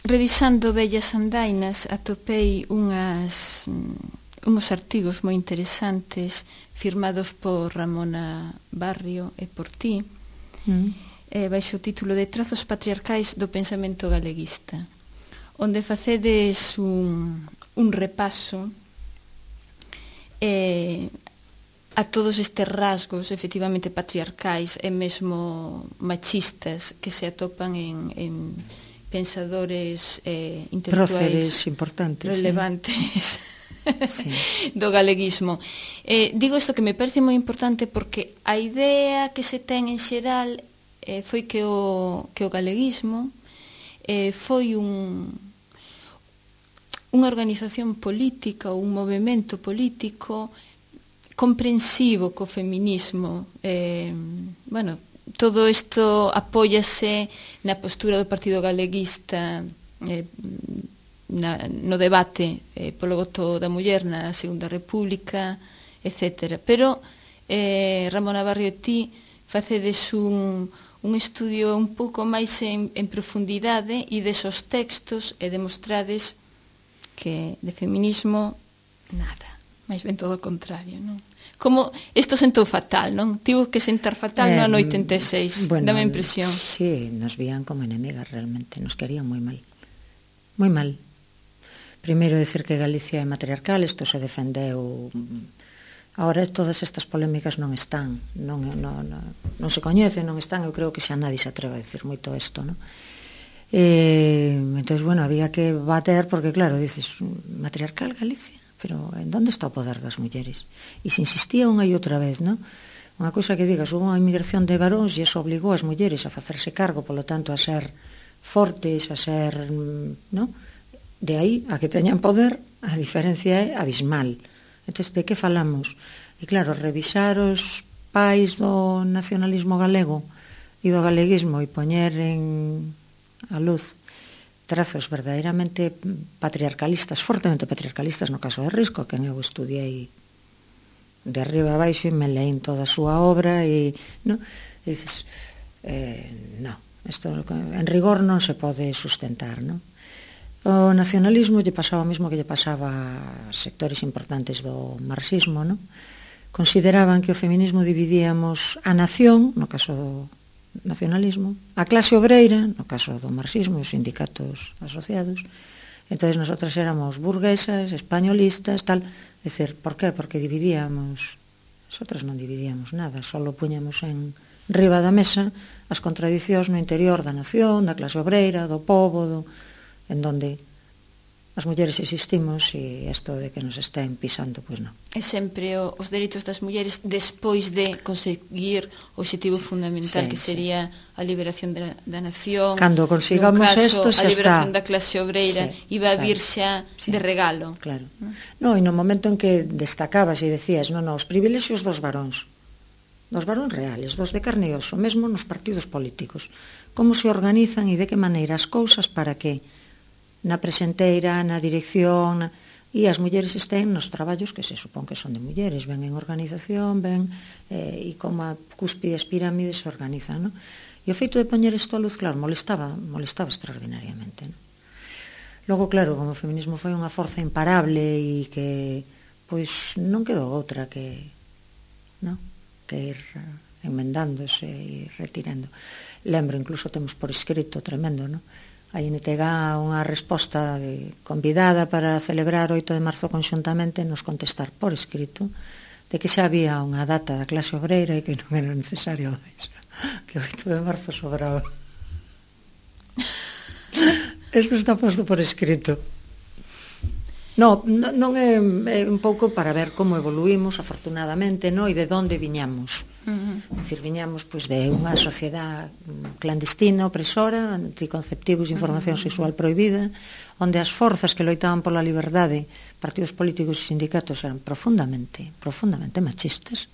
revisando vellas andainas atopei uns artigos moi interesantes firmados por Ramona Barrio e por ti, baixo o título de Trazos patriarcais do pensamento galeguista, onde facedes un repaso a todos estes rasgos efectivamente patriarcais e mesmo machistas que se atopan en pensadores intelectuais importantes, relevantes sí. do galeguismo. Digo isto que me parece moi importante porque a idea que se ten en xeral foi que o galeguismo foi unha organización política ou un movimento político comprensivo co feminismo. Bueno, todo isto apóiase na postura do Partido Galeguista no debate polo voto da muller na Segunda República, etc. Pero Ramona Barrio e ti facedes un estudio un pouco máis en profundidade e desos textos e demostrades que de feminismo nada, máis ben todo o contrario, non? Como isto sentou fatal, non? Tivo que sentar fatal no ano 86, dame a impresión. Sí, nos vían como enemigas realmente, nos querían moi mal. Moi mal. Primeiro, decir que Galicia é matriarcal, isto se defendeu. Agora todas estas polémicas non están, non se coñecen, non están, eu creo que xa nadie se atreve a decir moito isto, non? Entón, bueno, había que bater, porque claro, dices, matriarcal Galicia? Pero en onde está o poder das mulleres? E se insistía unha e outra vez, non? Unha cousa que digas, houve unha inmigración de varóns e iso obligou as mulleres a facerse cargo, polo tanto, a ser fortes, a ser, non? De aí a que teñan poder, a diferencia é abismal. Entón, de que falamos? E claro, revisar os pais do nacionalismo galego e do galeguismo e poñer en a luz trazos verdadeiramente patriarcalistas, fortemente patriarcalistas, no caso de Risco, que eu estudiei de arriba a baixo e me leín toda a súa obra e, no, e dices, no, isto en rigor non se pode sustentar, non? O nacionalismo lle pasaba o mesmo que lle pasaba a sectores importantes do marxismo, non? Consideraban que o feminismo dividíamos a nación, no caso do nacionalismo, a clase obreira, no caso do marxismo e os sindicatos asociados. Entón, nosotras éramos burguesas, españolistas, tal. É dicir, por qué? Porque dividíamos. Nosotras non dividíamos nada, só puñamos en riba da mesa as contradicións no interior da nación, da clase obreira, do pobo, en donde as mulleres existimos e isto de que nos estén pisando, pois non. É sempre os dereitos das mulleres despois de conseguir o objetivo fundamental, que sería a liberación da nación. Cando consigamos isto, xa está. A liberación da clase obreira iba a vir xa de regalo. Claro. Non, e no momento en que destacabas e decías, non, os privilexios dos varóns reales, dos de carne e oso, mesmo nos partidos políticos, como se organizan e de que maneira as cousas para que na presenteira, na dirección, e as mulleres estén nos traballos que se supón que son de mulleres, ven en organización, ven e como a cúspide as pirámides se organizan, non? E o feito de poñer isto a luz, claro, molestaba extraordinariamente, non? Logo, claro, como o feminismo foi unha forza imparable e que, pois, non quedou outra que, non? Que ir enmendándose e retirando. Lembro, incluso temos por escrito tremendo, non? A INTG unha resposta convidada para celebrar o 8 de marzo conxuntamente, nos contestar por escrito de que xa había unha data da clase obreira e que non era necesario máis, que o 8 de marzo sobraba. Isto está posto por escrito. Non é un pouco para ver como evoluímos, afortunadamente, e de onde viñamos. É dicir, viñamos de unha sociedade clandestina, opresora, anticonceptivos de información sexual prohibida, onde as forzas que loitaban pola liberdade, partidos políticos e sindicatos, eran profundamente machistas.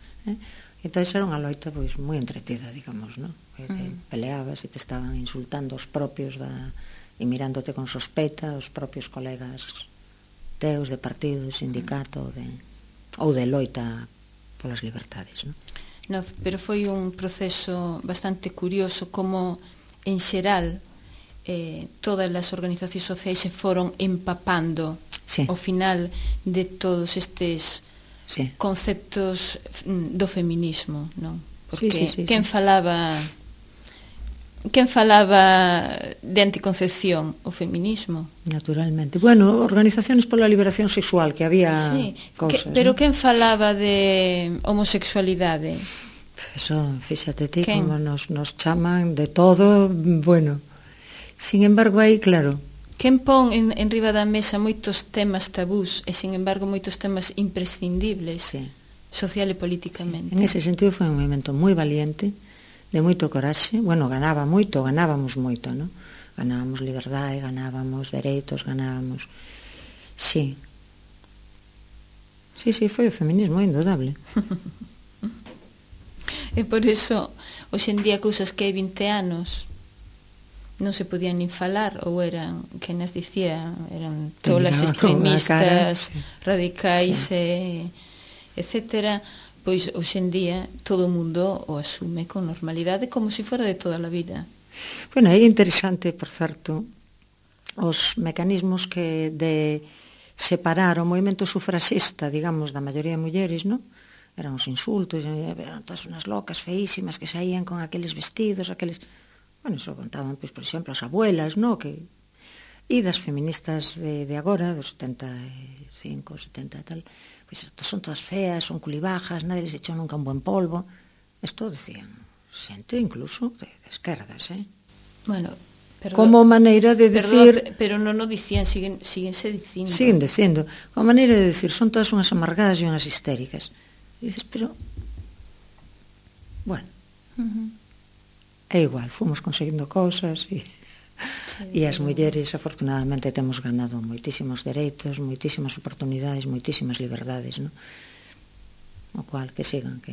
Entón, era unha loita moi entretida, digamos, non? Te peleabas e te estaban insultando os propios e mirándote con sospeita os propios colegas teus de partido, de sindicato ou de loita polas libertades, non? No, pero foi un proceso bastante curioso como, en xeral, todas as organizacións sociais se foron empapando ao final de todos estes conceptos do feminismo, non? Porque quen falaba de anticoncepción? O feminismo. Naturalmente. Bueno, organizaciones pola liberación sexual, que había cousas. Pero quen falaba de homosexualidade? Eso, fíxate ti, como nos chaman de todo, bueno. Sin embargo, aí, claro. Quen pon en riba da mesa moitos temas tabús e, sin embargo, moitos temas imprescindibles, social e políticamente. En ese sentido foi un movimento moi valiente, de moito coraxe. Bueno, ganábamos moito, non? Ganábamos liberdade, ganábamos dereitos, ganábamos... Sí. Sí, foi o feminismo, indudable. E por iso, hoxe en día, cousas que hai 20 anos non se podían nin falar, ou eran, que nas dicía, eran tolas extremistas, radicais, etcétera. Pois hoxe en día todo o mundo o asume con normalidade como se fora de toda a vida. Bueno, é interesante, por certo, os mecanismos que de separar o movimento sufraxista, digamos, da maioría de mulleres, non? Eran os insultos, eran todas unhas locas feísimas que saían con aqueles vestidos, aqueles... Bueno, iso contaban, pois, por exemplo, as abuelas, non? E das feministas de agora, dos 75, 70 e tal... Pois son todas feas, son culibajas, nadie les echou nunca un buen polvo. Isto decían xente incluso de esquerdas, Bueno, como maneira de decir... Pero non o dicían, síguense dicindo. Siguen dicindo, como maneira de decir, son todas unhas amargadas e unhas histéricas. E dices, pero... Bueno, é igual, fomos conseguindo cousas e as mulleres afortunadamente temos ganado moitísimos dereitos, moitísimas oportunidades, moitísimas liberdades, non? O cual, que sigan, que...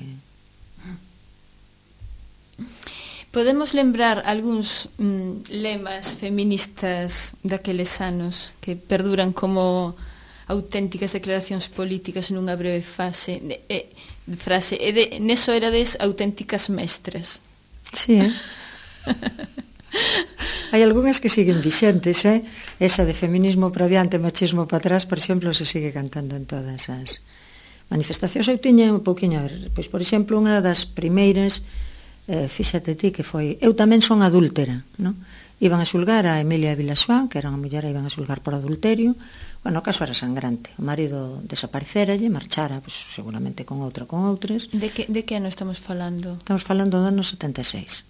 Podemos lembrar algúns lemas feministas daqueles anos que perduran como auténticas declaracións políticas nunha breve frase, e neso erades auténticas mestras. Sí, Hai algunhas que siguen vixentes, Esa de feminismo para diante, machismo para atrás, por exemplo, se sigue cantando en todas as manifestacións. Eu tiña un pouquiño, pois, por exemplo, unha das primeiras, fíxate ti, que foi Eu tamén son adúltera, non? Iban a xulgar a Emilia Vilaxoán, que era unha muller, iban a xulgar por adulterio. Bueno, o caso era sangrante. O marido desapareceralle, marchara, pois, seguramente con outras. De que ano estamos falando? Estamos falando do ano 76.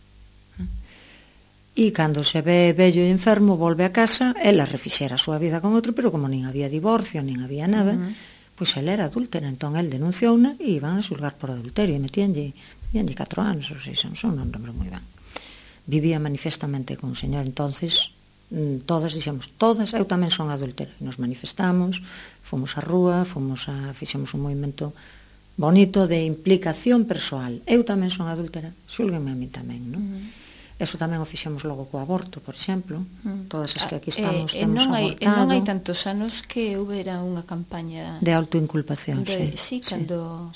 E cando se ve vello e enfermo, volve a casa, ela refixera a súa vida con outro, pero como nin había divorcio, nin había nada, pois ela era adúltera, entón el denunciou-na e iban a xulgar por adulterio, e metíanlle 4 anos ou 6 anos, non lembro moi ben. Vivía manifestamente con un señor, entonces todas dixemos, todas, eu tamén son adúltera, nos manifestamos, fomos á rúa, fixemos un movimento bonito de implicación persoal, eu tamén son adúltera, xúlguenme a mí tamén, non? Eso tamén o fixemos logo co aborto, por exemplo. Todas as que aquí estamos temos abortado. E non hai tantos anos que houbera unha campaña de autoinculpación, sí, cando...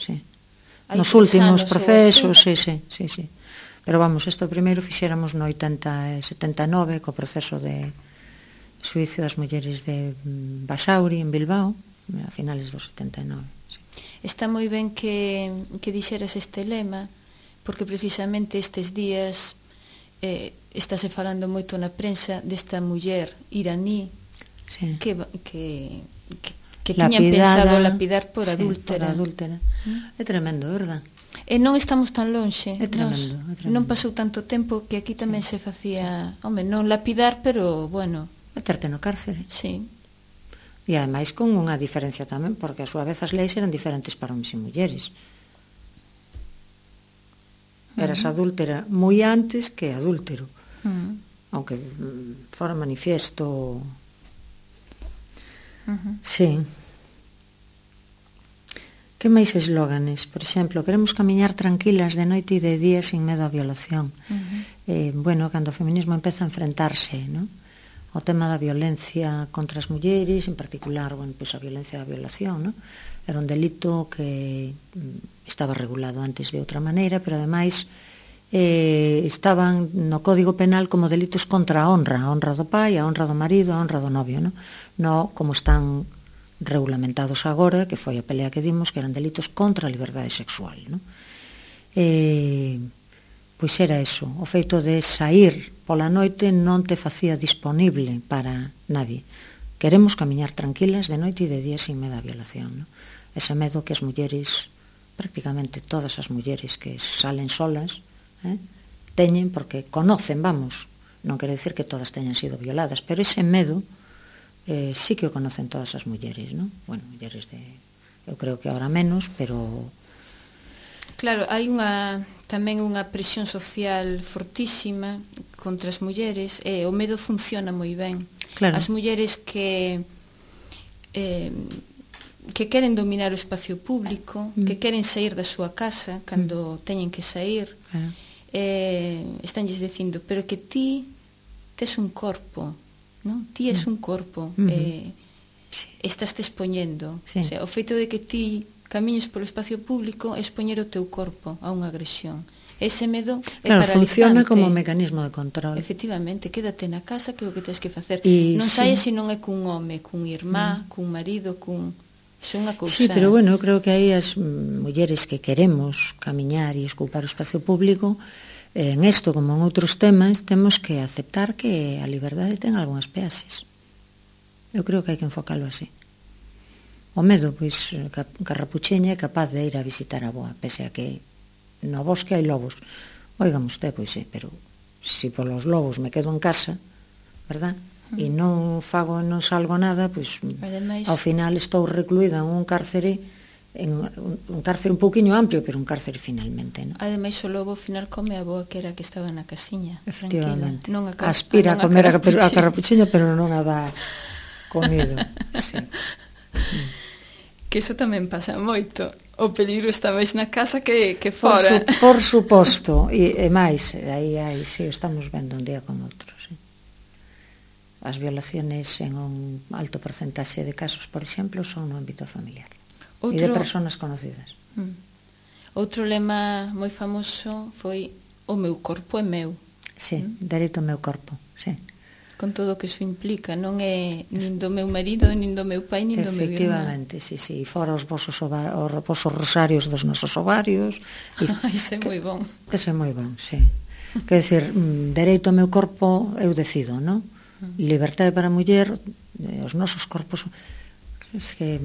Nos últimos procesos, sí. Pero vamos, isto primeiro fixéramos no 79 co proceso de suicio das mulleres de Basauri en Bilbao, a finales do 79. Está moi ben que dixeras este lema, porque precisamente estes días estáse falando moito na prensa desta muller iraní que tiñan pensado lapidar por adúltera. É tremendo, verdad? E non estamos tan lonxe. É tremendo. Non pasou tanto tempo que aquí tamén se facía, non lapidar, pero, bueno... Meterte no cárcere. Sí. E ademais con unha diferencia tamén, porque a súa vez as leis eran diferentes para homens e mulleres. Eras adúltera moi antes que adúltero, aunque fora manifiesto. Sí. Que máis eslóganes? Por exemplo, queremos camiñar tranquilas de noite e de día sin medo á violación. Bueno, cando o feminismo empeza a enfrentarse, non? O tema da violencia contra as mulleres, en particular, bueno, pois a violencia da violación, non? Era un delito que estaba regulado antes de outra maneira, pero ademais estaban no Código Penal como delitos contra a honra do pai, a honra do marido, a honra do novio, no como están regulamentados agora, que foi a pelea que dimos, que eran delitos contra a liberdade sexual, pois era eso, o feito de sair pola noite non te facía disponible para nadie. Queremos camiñar tranquilas de noite e de día sin medo a violación, ese medo que as mulleres, prácticamente todas as mulleres que salen solas, teñen, porque conocen, vamos, non quere decir que todas teñan sido violadas, pero ese medo sí que o conocen todas as mulleres, bueno, mulleres eu creo que ahora menos, pero claro, hai tamén unha presión social fortísima contra as mulleres, e o medo funciona moi ben. Claro. As mulleres que queren dominar o espacio público, que queren sair da súa casa cando teñen que sair, estánlles dicindo, pero que ti tes un corpo, ti es un corpo, estás te expoñendo. O sea, o feito de que ti camiñes polo espacio público é expoñer o teu corpo a unha agresión. Ese medo é paralizante. Funciona como mecanismo de control. Efectivamente, quédate na casa, que é o que tens que facer. Non saias se non é cun home, cun irmá, cun marido, é unha cousa. Sí, pero bueno, eu creo que aí as mulleres que queremos camiñar e escupar o espacio público, en isto como en outros temas, temos que aceptar que a liberdade ten algunhas peaxes. Eu creo que hai que enfocalo así. O medo, pois, Carrapucheña é capaz de ir a visitar a boa, pese a que no bosque hai lobos. Oigan usted, pois pero se polos lobos me quedo en casa, verdad? E non fago, non salgo nada, pois ao final estou recluída en un cárcere, un cárcere un pouquiño amplio, pero un cárcere finalmente, Ademais, o lobo ao final come a boa, que era que estaba na casiña, efectivamente. Tranquila. Aspira a comer a Carrapucheña, pero non a dá comido. Sí. Que iso tamén pasa moito. O peligro está máis na casa que fora. Por suposto, e máis, aí sí, estamos vendo un día con outro, sí. As violaciones en un alto porcentaxe de casos, por exemplo, son no ámbito familiar. E de persoas conocidas. Outro lema moi famoso foi o meu corpo é meu. Sí, dereito ao meu corpo, sí. Con todo o que iso implica, non é nin do meu marido, nin do meu pai, nin do meu irmán. Efectivamente, sí, fora os vosos rosarios dos nosos ovarios. Iso é moi bon. Iso é moi bon, sí. Quer dizer, dereito ao meu corpo eu decido, non? Libertade para a muller, os nosos corpos, es que,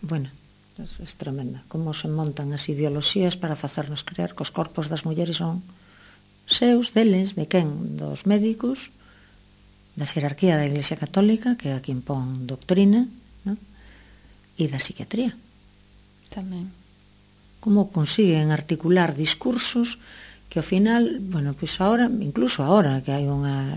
bueno, é tremenda, como se montan as ideoloxías para facernos creer que os corpos das mulleres son seus, deles, de quen? Dos médicos, da xerarquía da Iglesia Católica, que é a que impón doctrina, e da psiquiatría. Tamén. Como consiguen articular discursos que ao final, bueno, pois agora, incluso agora que hai unha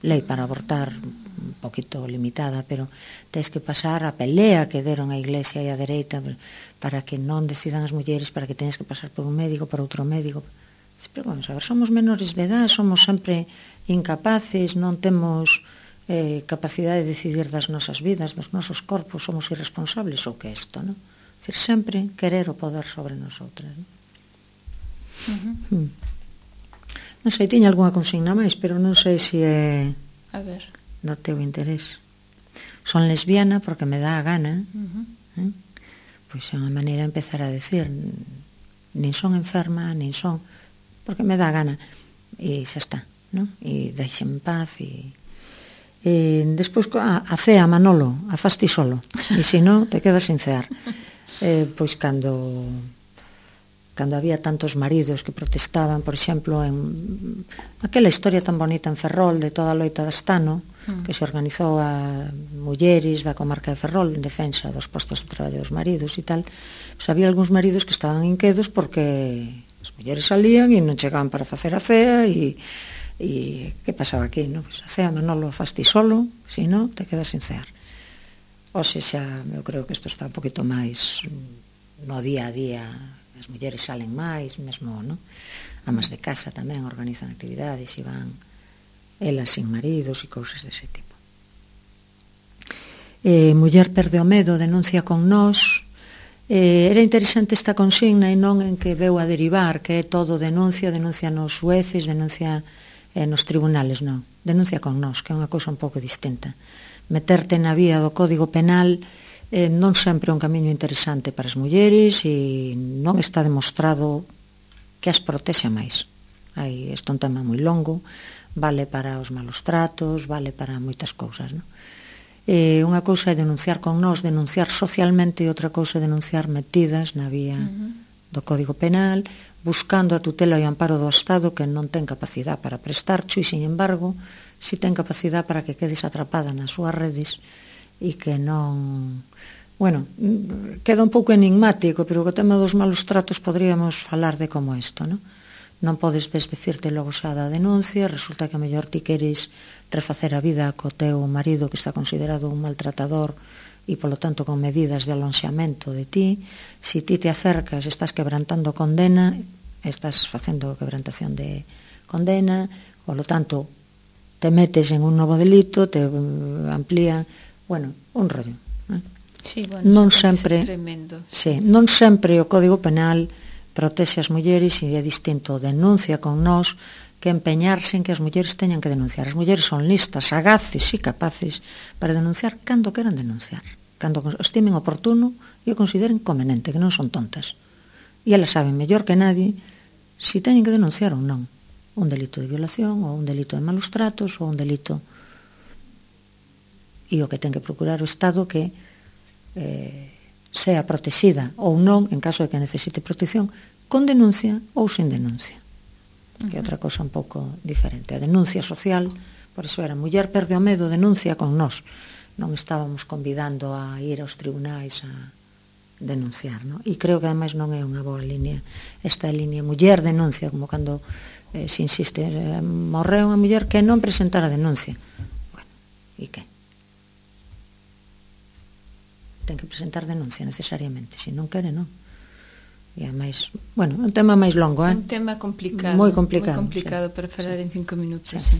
lei para abortar un poquito limitada, pero tens que pasar a pelea que deron a Iglesia e a dereita para que non decidan as mulleres, para que teñas que pasar por un médico, por outro médico. Pero vamos a ver, somos menores de edad, somos sempre incapaces, non temos capacidade de decidir das nosas vidas, dos nosos corpos, somos irresponsables, ou que é isto, non? É dicir, sempre querer o poder sobre nosotras, non? Non sei, tiña algunha consigna máis, pero non sei se é do teu interés. Son lesbiana porque me dá a gana, pois é unha maneira de empezar a decir, nin son enferma, nin son, porque me dá a gana, e xa está, non? E deixen en paz, e despois a cea, Manolo, a fasti solo, e se non, te quedas sin cear. Pois cando había tantos maridos que protestaban, por exemplo, en aquela historia tan bonita en Ferrol de toda a loita de Astano, que se organizou a mulleres da comarca de Ferrol en defensa dos postos de traballo dos maridos e tal, pois había algúns maridos que estaban inquedos porque as mulleres salían e non chegaban para facer a cea e que pasaba aquí, non? Pois a cea, Manolo, faz ti solo, se non, te quedas sin cear. Oxe, xa, eu creo que isto está un poquito máis no día a día. As mulleres salen máis, mesmo, non? Amas de casa tamén organizan actividades e van elas sin maridos e cousas dese tipo. Muller perde o medo, denuncia con nós, Era interesante esta consigna e non en que veu a derivar, que é todo denuncia nos xueces, denuncia nos tribunales, non. Denuncia con nós, que é unha cousa un pouco distinta. Meterte na vía do Código Penal non sempre é un camiño interesante para as mulleres e non está demostrado que as protexa máis. Isto é un tema moi longo, vale para os malos tratos, vale para moitas cousas, non? Unha cousa é denunciar con nós, denunciar socialmente, e outra cousa é denunciar metidas na vía do Código Penal, buscando a tutela e o amparo do Estado, que non ten capacidade para prestarcho e, sin embargo, si ten capacidade para que quedes atrapada nas súas redes e que non... Bueno, queda un pouco enigmático, pero o tema dos malos tratos podríamos falar de como isto, non? Non podes desdecirte logo xa da denuncia, resulta que a mellor ti queres refacer a vida co teu marido que está considerado un maltratador e, polo tanto, con medidas de alonxamento de ti. Si ti te acercas, estás quebrantando condena, estás facendo quebrantación de condena, polo tanto, te metes en un novo delito, te amplía, bueno, un rollo. Sí, bueno, non sempre, tremendo. Sí, non sempre o Código Penal protexe as mulleres e é distinto denuncia con nós que empeñarse en que as mulleres teñan que denunciar. As mulleres son listas, sagaces e capaces para denunciar cando queran denunciar, cando estimen oportuno e o consideren conveniente, que non son tontas. E elas saben mellor que nadie si teñen que denunciar ou non un delito de violación ou un delito de malos tratos ou un delito, e o que ten que procurar o Estado que sea protexida ou non en caso de que necesite protección con denuncia ou sin denuncia, que é outra cosa un pouco diferente. A denuncia social, por iso era muller perde o medo, denuncia con nós, non estábamos convidando a ir aos tribunais a denunciar, non? E creo que ademais non é unha boa línea esta línea muller denuncia, como cando se insiste, morreu unha muller que non presentara denuncia. Bueno, e que? Ten que presentar denuncia necesariamente, se non quere, non. E ademais, bueno, é un tema máis longo, un tema complicado, moi complicado, para falar en 5 minutos, sí.